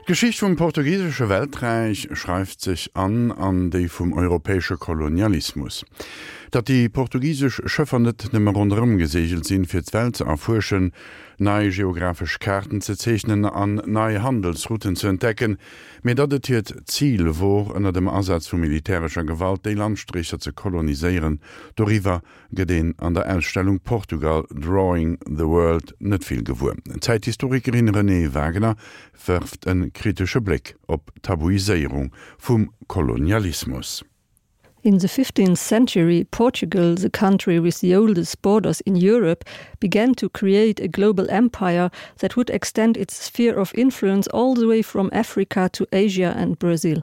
D'Geschicht vum portugisesche Welträich schreift sech an an déi vum europäesche Kolonialismus. Datt déi portugisesch Schëffer net nëmme ronderëm geseegelt sinn, fir d'Welt ze erfuerschen, nei geographesch Kaarten ze zeechnen an nei Handelsrouten ze entdecken, mee datt et hiert Zil wor, ënner dem Asaz vu militärescher Gewalt déi Landstrécher ze koloniséieren, doriwwer gëtt een an der Ausstellung Portugal, Drawing the World net vill gewuer. D'Zäithistorikerin Renée Wagener wërft e kritesche Bléck op d'Tabuiséierung vum Kolonialismus. In the 15th century, Portugal, the country with the oldest borders in Europe, began to create a global empire that would extend its sphere of influence all the way from Africa to Asia and Brazil.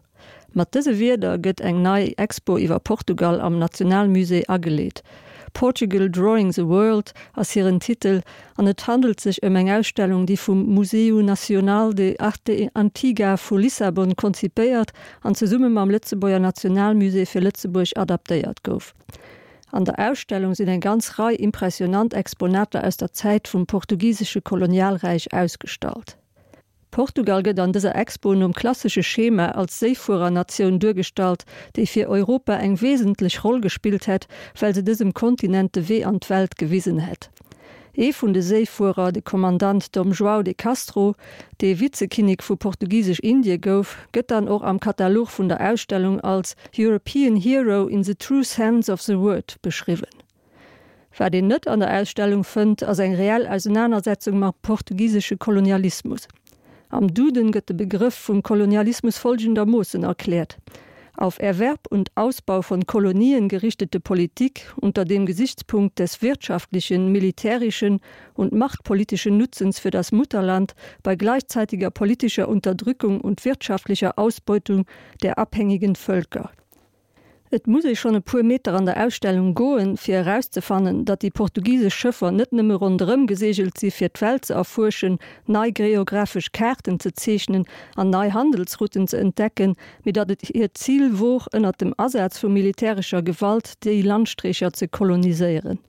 Mat dëse Wierder gëtt eng nei Expo iwwer Portugal am Nationalmusée ageleet. Portugal Drawing the World ass hiren Titel an et handelt sech ëm eng Ausstellung, déi vum Museu Nacional de Arte Antiga vu Lissabon konzipéiert an zesumme mam Lëtzebuerger Nationalmusée fir Lëtzebuerg adaptéiert gouf. An der Ausstellung sinn eng ganz Rei impressionant Exponater aus der Zäit vum portugisesche Kolonialräich ausgestallt. Portugal gëtt an dëser Expo nom klassesche Schema als Séifuerernatioun duergestallt, déi fir Europa eng wesentlech Roll gespillt hätt, well se dësem Kontinent de Wee an d'Welt gewisen hätt. Ee vun de Séifuerer, de Kommandant Dom João de Castro, dee Vizekinnek vu Portugisesch-Indie gouf, gëtt dann och am Katalog vun der Ausstellung als European hero in the true sense of the word beschriwwen. Wat een net an der Ausstellung fënnt, ass eng reell Ausenanersetzung mam portugisesche Kolonialismus. Am Duden gëtt de Begrëff vum Kolonialismus folgendermoossen erkläert, Auf Erwerb und Ausbau von Kolonien gerichtete Politik unter dem Gesichtspunkt des wirtschaftlichen, militärischen und machtpolitischen Nutzens für das Mutterland bei gleichzeitiger politischer Unterdrückung und wirtschaftlicher Ausbeutung der abhängigen Völker. Et muss ee schonn e puer Meter an der Ausstellung goen, fir erauszefannen, datt déi portugisesch Schëffer net nëmme ronderëm geseegelt si fir d'Welt ze erfuerschen, nei geographesch Kaarten ze zeechnen an nei Handelsrouten ze entdecken, mee datt et hiert Zil wor, ënnert dem Asaz vu militärescher Gewalt déi Landstreecher ze koloniséieren.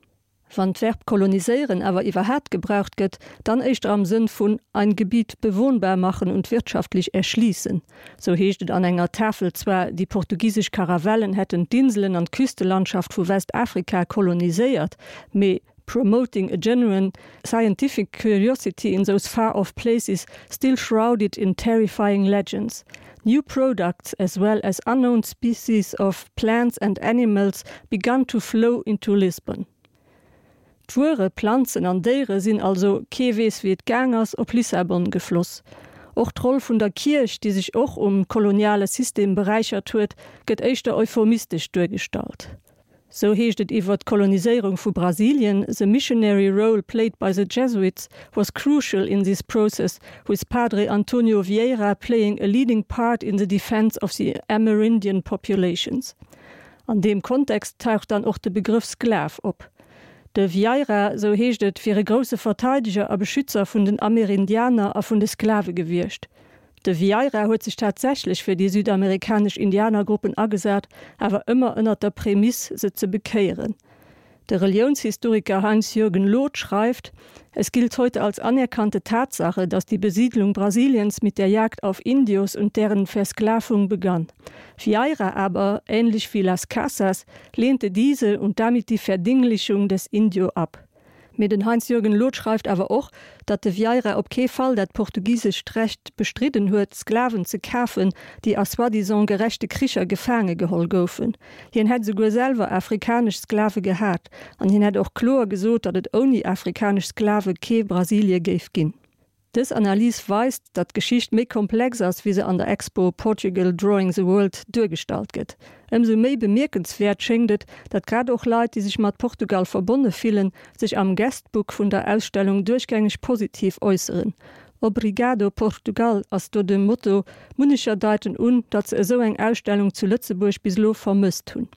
Wann d'Verb koloniséieren awer iwwerhaapt gebraucht gëtt, dann éischter am Sënn vun ein Gebiet bewohnbar machen und wirtschaftlich erschließen. Sou heescht et an enger Tafel zwar, déi portugisesch Karavellen hätten d'Inselen an d'Küstelandschaft vu Westafrika koloniséiert, mee promoting a genuine scientific curiosity in those far-off places still shrouded in terrifying legends. New products as well as unknown species of plants and animals began to flow into Lisbon. D'Wuere, Planzen an Déiere sinn also, kee weess wéi et gaang ass, op Lissabon gefloss. Och d'Roll vun der Kierch, déi sech och um koloniale System beräichert huet, gëtt éischter euphemistesch duergestallt. Sou heescht et iwwer d'Koloniséierung vu Brasilien, The missionary role played by the Jesuits was crucial in this process, with Padre Antonio Vieira playing a leading part in the defense of the Amerindian populations. An deem Kontext taucht dann och de Begrëff Sklav op. De Vieira, sou heescht et, wier e grousse Verteideger a Beschützer vun den Amerindianer a vun de Sklave gewiescht. De Vieira huet sech tatsächlech fir déi südamerikanesch Indianergruppen agesat, awer ëmmer ënnert der Prämiss, se ze bekéieren. De Reliounshistoriker Heinz-Jürgen Loth schreift, Es gilt heute als anerkannte Tatsache, dass die Besiedlung Brasiliens mit der Jagd auf Indios und deren Versklavung begann. Vieira aber, ähnlich wie Las Casas, lehnte diese und damit die Verdinglichung des Indio ab. Mee den Heinz-Jürgen Loth schreift awer och, datt de Vieira op kee Fall dat portugisescht Recht bestridden huet, Sklaven ze kafen, déi a soi-disant gerechte Kricher gefaange geholl goufen. Hien hätt esouguer selwer afrikanesch Sklave gehat an hien hätt och kloer gesot, datt et ouni afrikanesch Sklave kee Brasilie géif ginn. Dës Analys weist, datt d'Geschicht méi komplex ass, wéi se an der Expo Portugal Drawing the World duergestallt gëtt. Ëmsou méi bemierkenswäert schéngt et, datt grad och Leit, déi sech mat Portugal verbonne fillen, sech am Guestbook vun der Ausstellung duerchgängeg positiv äusseren. Obrigado Portugal ass do de Motto, munnecher deiten un, datt se esou eng Ausstellung zu Lëtzebuerg bis elo vermësst hunn.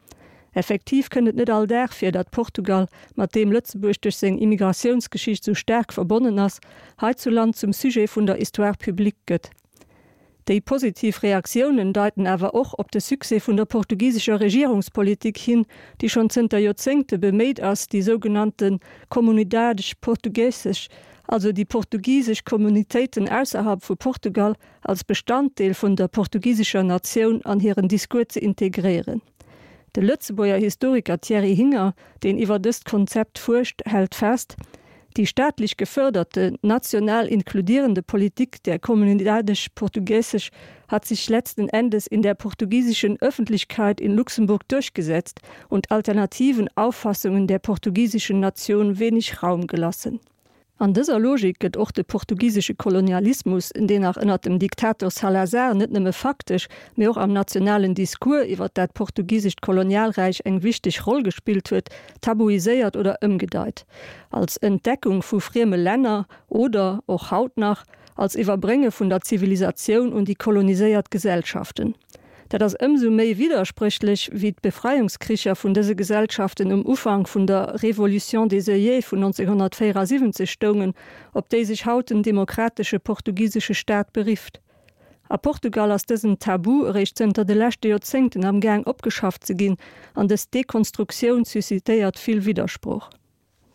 Effektiv kënnt et net all Dag vir, datt Portugal, mat deem Lëtzebuerg duerch seng Immigratiounsgeschicht sou staark verbonnen ass, heizuland zum Sujet vun der Histoire publique gëtt. Déi positiv Reaktiounen deiten awer och op de Succès vun der portugisescher Regierungspolitik hin, déi schonn zënter Joerzéngte beméit ass, déi sougenannte Comunidades Portugueses. also déi portugisesch Kommunitéiten ausserhalb vu Portugal als Bestanddeel vun der portugisescher Natioun an hiren Discours ze integréieren. De Lëtzebuerger Historiker Thierry Hinger, deen iwwer dëst Konzept fuerscht, hält fest, Die staatlich geförderte, national inkludierende Politik der Comunidades Portugueses hat sich letzten Endes in der portugiesischen Öffentlichkeit in Luxemburg durchgesetzt und alternativen Auffassungen der portugiesischen Nation wenig Raum gelassen. An dëser Logik gëtt och de portugisesche Kolonialismus, deen nach ënnert dem Diktator Salazar net nëmme faktesch, mee och am nationalen Discours iwwer dat portugisescht Kolonialräich eng wichteg Roll gespillt huet, tabuiséiert oder ëmgedeit. Als Entdeckung vu frieme Länner oder, och haut nach, als Iwwerbrénge vun der Zivilisatioun un déi koloniséiert Gesellschaften. Dat ass ëmsou méi widderspréchlech, wéi d'Befreiungskricher vun dëse Gesellschaften um Ufank vun der Révolution des œillets vun 1974 stoungen, op déi sech haut den demokratesche portugisesche Staat berifft. A Portugal ass dësen Tabu eréischt zënter de leschte Joerzéngten am Gaang opgeschafft ze ginn, an dës Dekonstruktioun suscitéiert vill Widdersproch.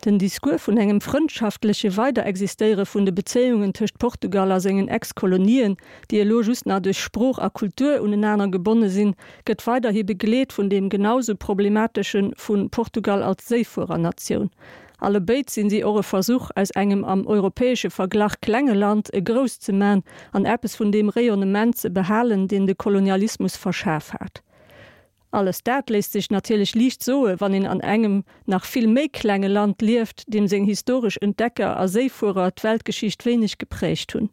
Den Discours vun engem frëndschaftleche Weiderexistéiere vun de Bezéiungen tëscht Portugal a sengen Ex-Kolonien, déi elo just nach duerch Sprooch a Kultur unenaner gebonne sinn, gëtt weiderhi begleet vun deem genausou problematesche vu Portugal als Séifuerernatioun. Allebéid sinn si och e Versuch, aus engem am europäesche Verglach klenge Land e grousst ze man an eppes vun deem Rayonnement ze behalen, deen de Kolonialismus verschaf hat. Alles dat léisst sech natierlech liicht soe wann een an engem nach vill méi klenge Land lieft, deem seng historesch Entdecker a Séifuerer d'Weltgeschicht wéineg geprägt hunn.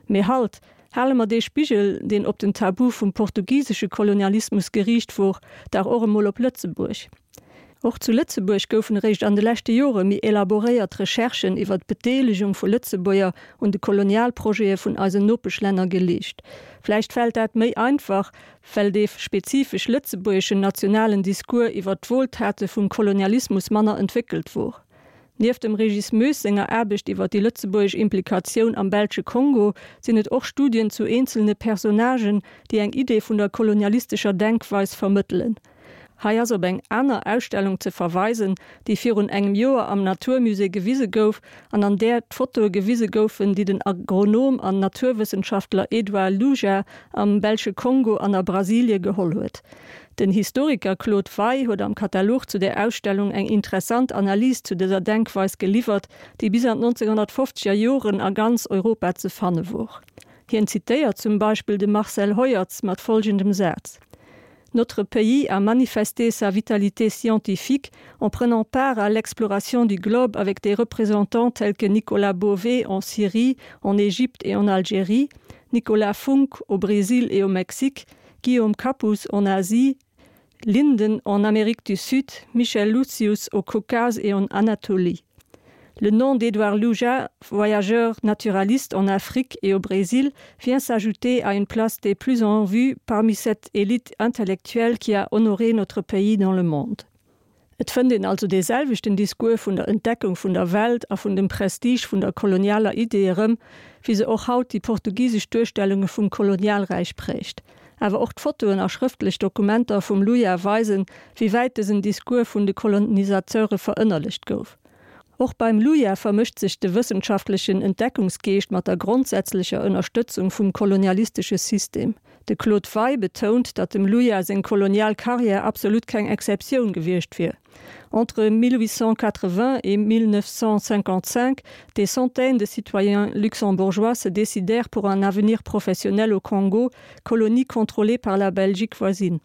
Mee halt, hale mer dee Spigel, deen op den Tabu vum portugisesche Kolonialismus geriicht wor, dach och emol op Lëtzebuerg. Och zu Lëtzebuerg goufen eréischt an de leschte Jore méi elaboréiert Recherchen iwwer d'Bedeelegung vu Lëtzebuerger un de Kolonialprojete vun eisen Nopeschlänner geleescht. Vläicht fält dat méi einfach, well dee spezifesch lëtzebuergeschen nationalen Discours iwwer d'Wohltate vum Kolonialismus manner entwéckelt wor. Nieft dem Régis Moes senger Aarbecht iwwer déi lëtzebuergesch Implikatioun am belsche Kongo sinn et och Studien zu eenzelne Personnagen, déi eng Idee vun der kolonialistescher Denkweis vermëttelen. Hei ass op eng aner Ausstellung ze verweisen, déi virun engem Joer am Naturmusée gewise gouf an an där d'Fotoe gewise goufen, déi den Agronom an Naturwëssenschaftler Edouard Luja am belsche Kongo an a Brasilie geholl huet. Den Historiker Claude Wey huet am Katalog zu där Ausstellung eng interessant Analys zu dëser Denkweis geliwwert, déi bis an d'Nonzénhunnertfofzeger Joren a ganz Europa ze fanne wor. Hien zitéiert zum Beispill de Marcel Heuertz mat folgendem Saz. Notre pays a manifesté sa vitalité scientifique en prenant part à l'exploration du globe avec des représentants tels que Nicolas Beauvais en Syrie, en Égypte et en Algérie, Nicolas Funk au Brésil et au Mexique, Guillaume Capus en Asie, Linden en Amérique du Sud, Michel Lucius au Caucase et en Anatolie. Le nom d'Édouard Luja, voyageur naturaliste en Afrique et au Brésil, vient s'ajouter à une place des plus en vue parmi cette élite intellectuelle qui a honoré notre pays dans le monde. Et fënnt een also dee selwechten Discours vun der Entdeckung vun der Welt a vun dem Prestige vun der kolonialer Idee erëm, wéi se och haut déi portugisesch Duerstellunge vum Kolonialräich prägt. Awer och d'Fotoen a schrëftlech Dokumenter vum Luja weisen, wéi wäit dësen Discours vun de Kolonisateure verënnerlecht gouf. Och beim Luja vermëscht sech de wëssenschaftlechen Entdeckungsgeescht mat der grondsätzlecher Ënnerstëtzung vum kolonialistesche System. De Claude Wey betount, datt dem Luja seng kolonial Karriär absolut keng Exceptioun gewiescht wier. Entre 1880 et 1955, des centaines de citoyens luxembourgeois se décidèrent pour un avenir professionnel au Congo, colonie contrôlée par la Belgique voisine.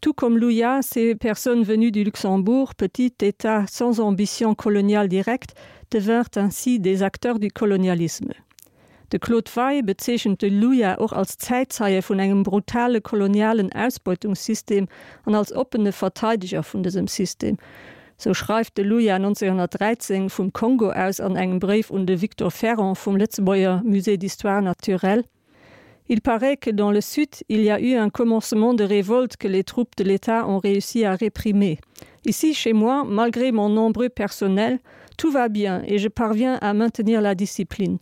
Tout comme Louya, ces personnes venues du Luxembourg, petit État sans ambition coloniale directe, devinrent ainsi des acteurs du colonialisme. De Claude Wey bezeechent de Luja och als Zäitzeie vun engem brutale kolonialen Ausbeutungssystem an als oppene Verteideger vun dësem System. Sou schreift de Luja 1913 vum Kongo aus an engem Bréif un de Victor Ferrant vum Lëtzebuerger Musée d'histoire naturelle, Il paraît que dans le sud, il y a eu un commencement de révolte que les troupes de l'État ont réussi à réprimer. Ici, chez moi, malgré mon nombreux personnel, tout va bien et je parviens à maintenir la discipline.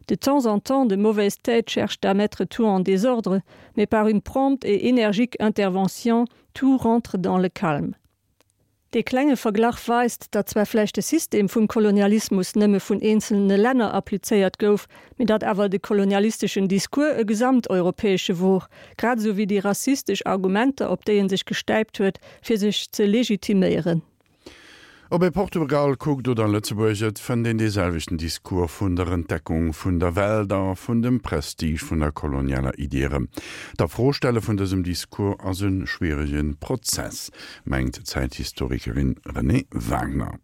De temps en temps, de mauvaises têtes cherchent à mettre tout en désordre, mais par une prompte et énergique intervention, tout rentre dans le calme. Dee klenge Verglach weist, datt zwar vläicht de System vum Kolonialismus nëmme vun eenzelne Länner applizéiert gouf, mee datt awer de kolonialisteschen Discours e gesamteuropäesche wor, grad esou wéi déi rassistesch Argumenter, op déi en sech gestäipt huet, fir sech ze legitiméieren. Ob ee Portugal kuckt oder Lëtzebuerg, et fënnt een dee selwechten Discours vun der Entdeckung vun der Welt a vun dem Prestige vun der kolonialer Idee erëm. D'Afrostelle vun dësem Discours ass e schwierege Prozess, mengt d'Zäithistorikerin Renée Wagner.